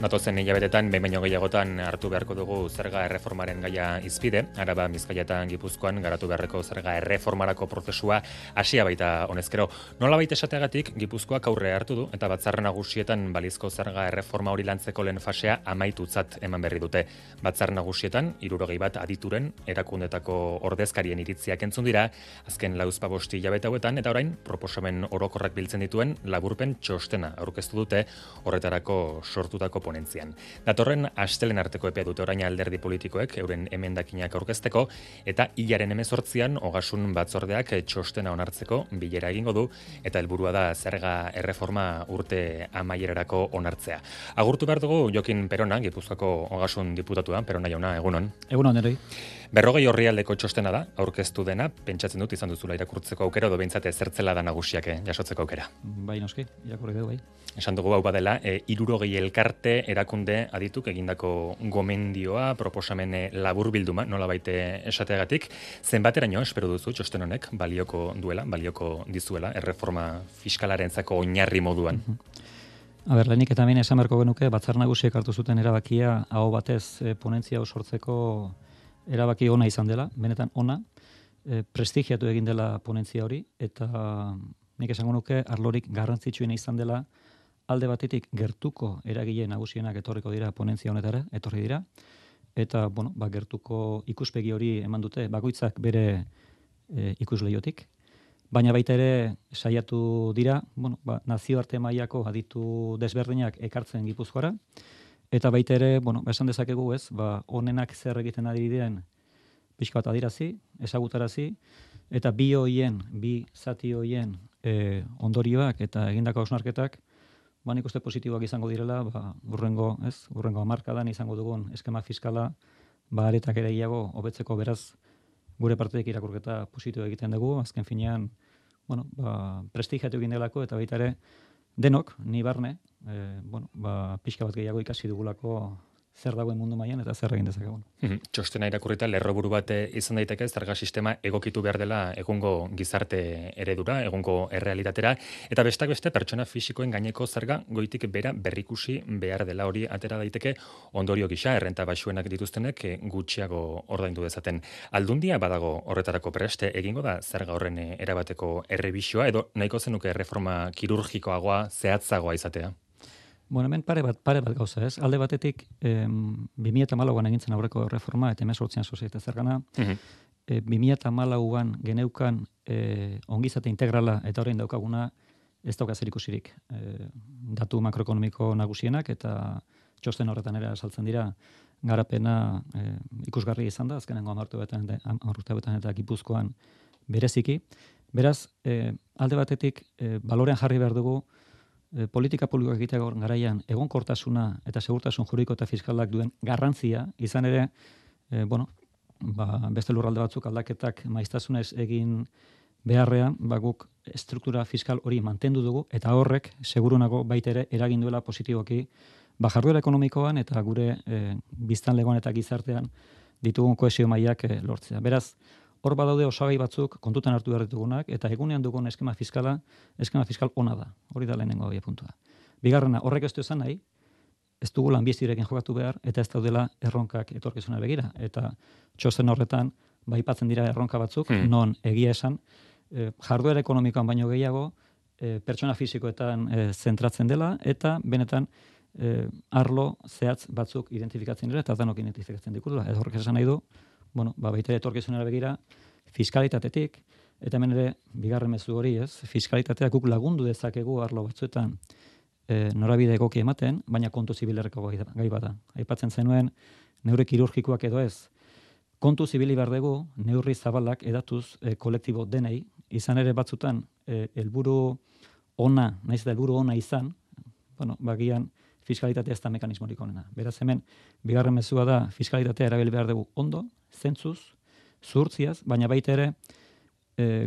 Datozen hilabetetan, behin baino gehiagotan hartu beharko dugu zerga erreformaren gaia hizpide. Araba, Bizkaia eta Gipuzkoan garatu beharreko zerga erreformarako prozesua hasia baita honezkero. Nolabait esateagatik Gipuzkoak aurre hartu du eta Batzar Nagusietan balizko zerga erreforma hori lantzeko lehen fasea amaitutzat eman berri dute. Batzar Nagusietan 61 adituren erakundetako ordezkarien iritziak entzun dira azken lauzpabost hilabete hauetan, eta orain proposamen orokorrak biltzen dituen laburpen txostena aurkeztu dute horretarako sortutako ponentzian. Datorren astelen arteko epea dute orain alderdi politikoek euren emendakinak aurkezteko, eta hilaren 18an Ogasun Batzordeak txostena onartzeko bilera egingo du, eta helburua da zerga erreforma urte amaierarako onartzea. Agurtu behar dugu Jokin Perona, Gipuzkoako Ogasun diputatua. Perona jauna, egunon. Egunon, eroi. 40 orrialdeko txostena da, aurkeztu dena, pentsatzen dut izan duzula irakurtzeko aukera, edo behintzat zertzela da nagusiak jasotzeko aukera. Bai, noski, irakurri dugu, bai. Esan dugu hau badela, 60 elkarte erakunde adituk egindako gomendioa, proposamen laburbilduma, nolabait esateagatik, zenbateraino espero duzu txosten honek balioko duela, balioko dizuela, erreforma fiskalarentzako oinarri moduan? A ber, lehenik eta hemen esan beharko genuke, Batzar Nagusiek hartu zuten erabakia aho batez ponentzia hau sortzeko erabaki ona izan dela, benetan ona, prestigiatu egin dela ponentzia hori, eta nik esango nuke arlorik garrantzitsuena izan dela, alde batetik gertuko eragile nagusienak etorriko dira ponentzia honetara, etorri dira, eta bueno, gertuko ikuspegi hori eman dute bakoitzak bere ikusleiotik, baina baita ere saiatu dira, nazioarte mailako aditu desberdinak ekartzen Gipuzkoara, eta baita ere, esan dezakegu ez, honenak zer egiten ari diren pixka bat adirazi, ezagutarazi, eta bi zati hoien ondorioak eta egindako hausnarketak, nik uste positiboak izango direla, urrengo hamarkadan izango dugun eskema fiskala, aretak ere gehiago hobetzeko, beraz, gure partetik irakurketa positibo egiten dugu, azken finean, prestigiatu egin delako, eta baita ere, denok, ni barne, pixka bat gehiago ikasi dugulako zer dagoen mundu mailan eta zer egin dezakegun. Txostena irakurrita lerroburu bat izan daiteke, zerga sistema egokitu behar dela egungo gizarte eredura, egungo errealitatera, eta besteak beste pertsona fisikoen gaineko zerga goitik bera berrikusi behar dela, hori atera daiteke ondorio gisa, errenta baxuenak dituztenek gutxiago ordaindu dezaten. Aldundia badago horretarako preste, egingo da zerga horren erabateko errebizioa, edo nahiko zenuke erreforma kirurgikoagoa, zehatzagoa izatea? Hemen pare bat gauza, ez? Alde batetik, 2014an egintzen aurreko reforma, eta 2018an soziete zergana, 2014an geneukan ongizate integrala eta orain daukaguna ez dauka zer ikusirik. Datu makroekonomiko nagusienak eta txosten horretan ere saltzen dira garapena ikusgarri izan da, azkenengo 10 urteetan eta Gipuzkoan bereziki. Beraz, alde batetik, balorean jarri behar dugu, politika publikoak egiteko garaian egonkortasuna eta segurtasun juridiko eta fiskalak duen garrantzia, izan ere, beste lurralde batzuk aldaketak maiztasunez egin beharrean, guk struktura fiskal hori mantendu dugu, eta horrek, segurunago baita ere, eragin duela positiboki, jarduera ekonomikoan eta gure biztanlegoan eta gizartean ditugun kohesio mailak lortzea. Beraz, hor badaude osagai batzuk kontutan hartu behar ditugunak, eta egunean dugun eskema fiskal ona da. Hori da lehenengo puntua. Bigarrena, horrek ez du esan nahi, ez dugu lanbizirekin jokatu behar, eta ez daudela erronkak etorkizuna begira. Eta txosten horretan, aipatzen dira erronka batzuk, non egia esan, jarduera ekonomikoan baino gehiago, pertsona fisikoetan zentratzen dela, eta benetan arlo zehatz batzuk identifikatzen dira, eta danok identifikatzen dikutela. Ez horrek esan nahi du, baita etorkizunera begira, fiskalitatetik, eta hemen ere, bigarren mezu hori, ez, fiskalitatea guk lagundu dezakegu arlo batzuetan norabide egoki ematen, baina kontu zibilerreko gai bada. Aipatzen zenuen, neurri kirurgikoak edo ez, kontu zibili behar dugu, neurri zabalak edatuz kolektibo denei, izan ere batzutan, helburu ona, naiz eta helburu ona izan, bagian, fiskalitatea ez da mekanismorik onena. Beraz hemen, bigarren mezua da, fiskalitatea erabili behar dugu ondo, zentzuz, zuhurtziaz, baina baita ere,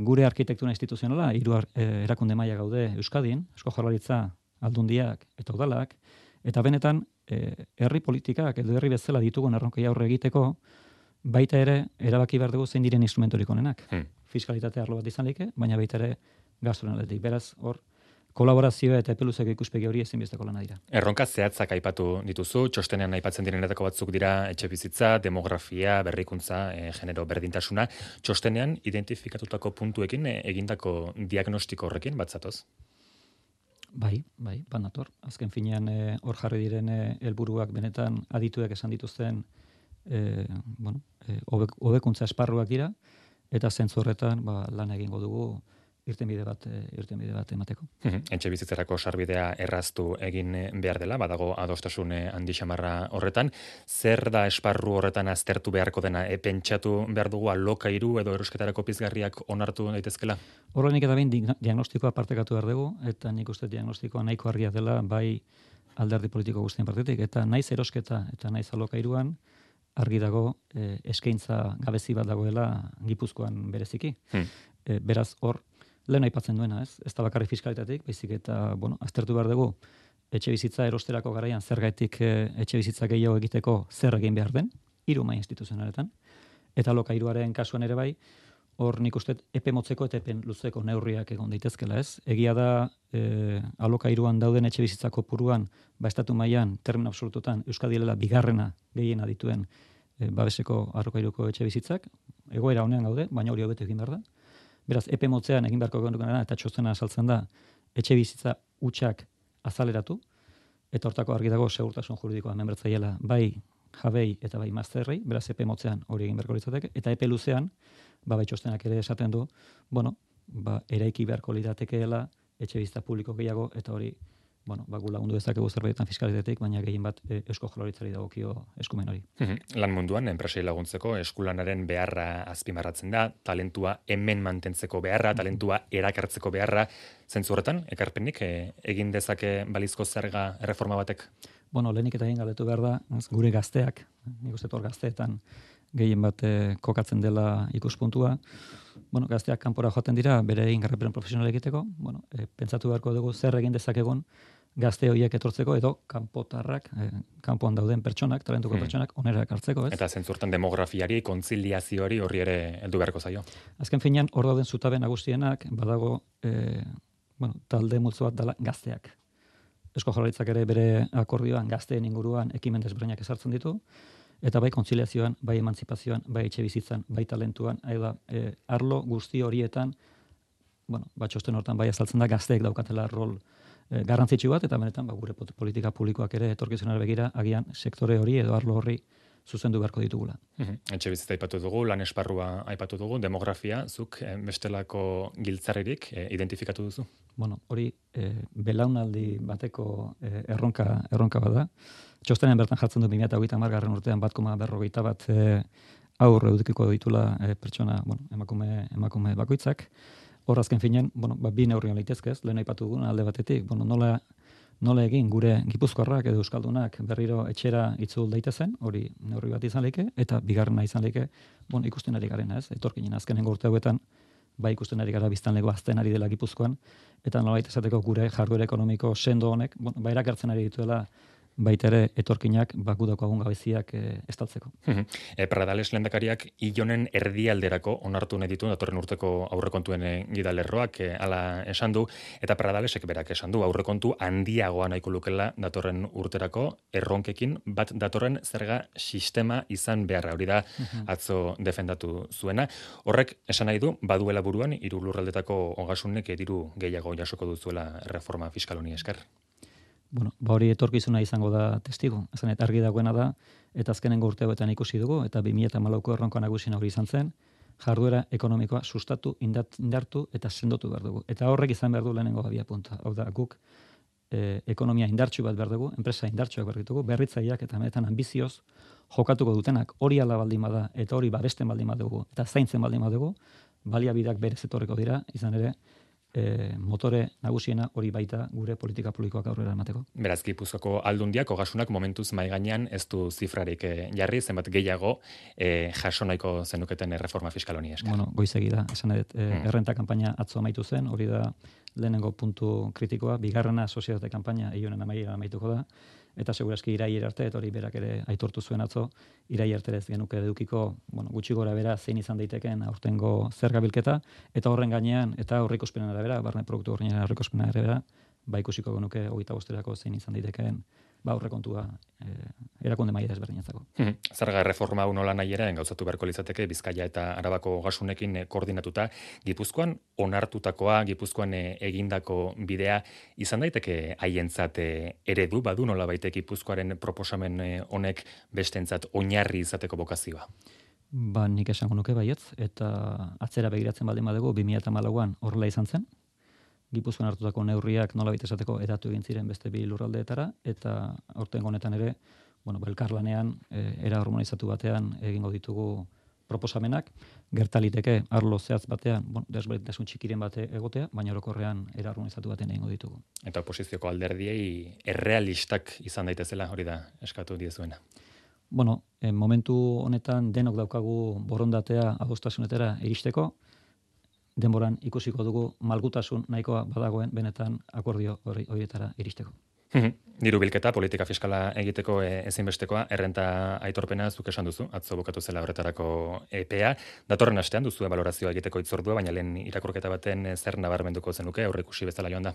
gure arkitektura instituzionala, 3 erakunde maila gaude Euskadin, Eusko Jaurlaritza, Aldundiak eta udalak, eta benetan, herri politikak edo herri bezala ditugun erronkei aurre egiteko, baita ere, erabaki behar dugu zein diren instrumentorik onenak. Fiskalitatea arlo bat izan like, baina baita ere gastuaren aldetik. Beraz, hor, kolaborazioa eta epeluzeko ikuspegi hori ezinbesteko lana dira. Erronka zehatzak aipatu dituzu, txostenean aipatzen direnetako batzuk dira etxebizitza, demografia, berrikuntza, genero berdintasuna. Txostenean identifikatutako puntuekin egindako diagnostiko horrekin batzatoz? Bai, banator. Azken finean hor jarri diren helburuak benetan adituek esan dituzten hobekuntza esparruak dira, eta zentzu horretan lan egingo dugu irtenbide bat emateko. Etxebizitzarako sarbidea erraztu egin behar dela, badago adostasun handi xamarra horretan. Zer da esparru horretan aztertu beharko dena? Pentsatu behar dugu alokairu edo erosketarako pizgarriak onartu daitezkela? Horrenik eta behin diagnostikoa partekatu behar dugu, eta nik uste diagnostikoa nahiko argia dela bai alderdi politiko guztien partetik, eta naiz erosketa eta naiz alokairuan argi dago eskaintza gabezi bat dagoela Gipuzkoan bereziki. Beraz hor, lehen aipatzen duena, ez da bakarrik fiskalitatik, baizik eta, aztertu behar dugu, etxebizitza erosterako garaian zergatik etxebizitza gehiago egiteko zer egin behar den, 3 mahai instituzionaletan, eta alokairuaren kasuan ere bai, hor nik uste epe motzeko eta epe luzeko neurriak egon daitezkela, ez? Egia da alokairuan dauden etxebizitza kopuruan, estatu mailan termino absolututan Euskadi dela bigarrena gehiena dituen babeseko alokairuko etxebizitzak, egoera honean gaude, baina hori hobeto egin behar da. Beraz, epe motzean egin beharko genukeena eta txostena azaltzen da etxe bizitza hutsak azaleratu, eta hortako argi dago segurtasun juridikoa hemen bertzaiela bai jabei eta bai mazterrei, beraz epe motzean hori egin beharko litzateke, eta epe luzean, bai txostenak ere esaten du, eraiki beharko liratekeela etxe bizitza publiko gehiago, eta hori, gu lagundu dezakegu zerbaitetan fiskalitatetik, baina gehien bat Eusko Jaurlaritzari dagokio eskumen hori. Lan munduan, enpresei laguntzeko, eskulanaren beharra azpimarratzen da, talentua hemen mantentzeko beharra, talentua erakartzeko beharra, zentzu horretan, ekarpenik, egin dezake balizko zerga erreforma batek? Lehenik eta egin galdetu behar da, gure gazteak, nik uste hor gazteetan gehien bat kokatzen dela ikuspuntua, gazteak kanpora joaten dira, bere egin garraperen profesional egiteko, pentsatu beharko dugu zer egin dezakegun gazte horiek etortzeko edo kanpotarrak, kanpoan dauden pertsonak, talentuko pertsonak, onera ekartzeko, ez? Eta zentzurtan demografiari, kontziliazioari horri ere heldu beharko zaio. Azken finean, hor dauden zutabe nagusienak, badago, talde multzo bat dela gazteak. Eusko Jaurlaritzak ere bere akordioan gazteen inguruan ekimen desberdinak ezartzen ditu, eta bai kontziliazioan, bai emantzipazioan, bai etxe bizitzan, bai talentuan, arlo guzti horietan, txosten hortan bai azaltzen da gazteek daukatela rol garrantzitsu bat, eta benetan gure politika publikoak ere etorkizunera begira, agian sektore hori edo arlo horri zuzendu beharko ditugula. Etxe bizitza aipatu dugu, lan esparrua aipatu dugu, demografia, zuk bestelako giltzarririk identifikatu duzu? Hori belaunaldi bateko erronka bada. Txostenen bertan jartzen du 2030 urtean 1,41 aur edukiko ditula pertsona, emakume bakoitzak. Hor azken finean, bi neurrian litezkez, lehen aipatu dugun alde batetik, nola egin gure Gipuzkoarrak edo euskaldunak berriro etxera itzul daitezen, hori neurri bat izan leke, eta bigarrena izan leke, ikusten ari garena, ez? Etorkinen azkenengo urte hauetan, bai ikusten ari gara biztanleko azten ari dela Gipuzkoan, eta nolabait esateko gure jarduera ekonomiko sendo honek, erakartzen ari dituela baita ere etorkinak gudako agun gabeziak estaltzeko. Pradales lehendakariak Ilonen erdialderako onartu nahi ditu datorren urteko aurrekontuen gidalerroak hala esan du, eta Pradalesek berak esan du aurrekontu handiagoa nahiko lukela datorren urterako erronkekin bat datorren zerga sistema izan beharra, hori da atzo defendatu zuena. Horrek esan nahi du baduela buruan 3 lurraldetako ogasunek diru gehiago jasoko duzuela reforma fiskal honi esker. Hori etorkizuna izango da testigo. Esan eta argi dagoena da, eta azkenengo urteetan ikusi dugu, eta 2014ko erronka nagusia hori izan zen, jarduera ekonomikoa sustatu, indartu eta sendotu behar dugu. Eta horrek izan behar du lehenengo abiapuntua. Hau da, guk ekonomia indartsu bat behar dugu, enpresa indartsuak behar ditugu, berritzaileak eta benetan ambizioz jokatuko dutenak, hori ala baldin bada, eta hori babesten baldin badugu, eta zaintzen baldin badugu, baliabideak berez etorriko dira, izan ere, motore nagusiena hori baita gure politika publikoak aurrera emateko. Beraz, Gipuzkoako aldundiak ogasunak momentuz mai gainean ez du zifrarik jarri, zenbat gehiago jaso nahiko zenuketen reforma fiskal honi esker. Goizegi da, esan edet, errenta kanpaina atzo amaitu zen, hori da lehenengo puntu kritikoa, bigarrena sozietate kanpaina Ilonen amaituko da, eta segurazki irailera arte, eta hori berak ere aitortu zuen atzo, irailera arte ez genuke edukiko, gutxi gora bera zein izan daiteken aurtengo zerga bilketa, eta horren gainean, eta aurreikuspenen arabera, barne produktu horren aurreikuspenen arabera, ba ikusiko genuke 25erako zein izan daitekeen aurrekontua erakunde maila desberdinatzako. Zerga erreforma hau nola nahi ere gauzatu beharko litzateke Bizkaia eta Arabako ogasunekin koordinatuta, Gipuzkoan onartutakoa, Gipuzkoan egindako bidea izan daiteke haientzat eredu badu nolabait Gipuzkoaren proposamen honek bestentzat oinarri izateko bokazioa. Ba, nik esango nuke baietz, eta atzera begiratzen baldin badugu 2014an horrela izan zen. Gipuzkoan hartutako neurriak nolabait esateko edatu egin ziren beste bi lurraldeetara, eta aurtengo honetan ere, elkarlanean era harmonizatu batean egingo ditugu proposamenak, gertaliteke arlo zehatz batean, desberdintasun txikiren bate egotea, baina orokorrean era harmonizatu batean egingo ditugu. Eta oposizioko alderdiei errealistak izan daitezela, hori da eskatu diezuena. Momentu honetan denok daukagu borondatea adostasunetara iristeko, denboran ikusiko dugu malgutasun nahikoa badagoen benetan akordio horietara iristeko. Diru bilketa, politika fiskala egiteko ezinbestekoa, errenta aitorpena zuk esan duzu, atzo bukatu zela horretarako epea. Datorren astean duzu balorazioa egiteko hitzordua, baina lehen irakurketa baten zer nabarmenduko zenuke, aurreikusi bezala joan da?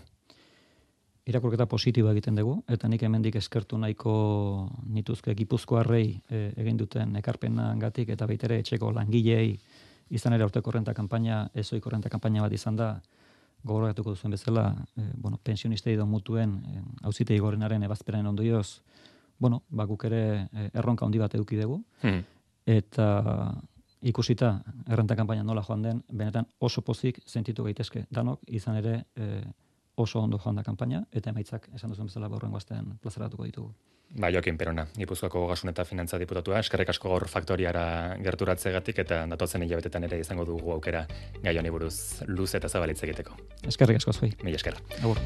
Irakurketa positiboa egiten dugu, eta nik hemendik eskertu nahiko nituzke Gipuzkoarrei egin duten ekarpenagatik eta baitere etxeko langileei izan ere aurteko renta kanpaina, ezoiko renta kanpaina bat izan da, gogoratuko duzuen bezala, pensionistei edo mutuen auzitegi gorenaren ebazpenaren ondorioz, guk ere erronka handi bat eduki dugu, eta ikusita errenta kanpaina nola joan den, benetan oso pozik sentitu gaitezke danok, izan ere oso ondo joan da kanpaina, eta emaitzak esan duzuen bezala horrengo astean plazaratuko ditugu. Joaquin Perona, Gipuzkoako Ogasun eta Finantza diputatua, eskerrik asko gaur faktoriara gerturatzegatik eta datotzen hilabetetan ere izango dugu aukera gai honi buruz luze eta zabalitz egiteko. Eskerrik asko zuei. Mila esker. Agur.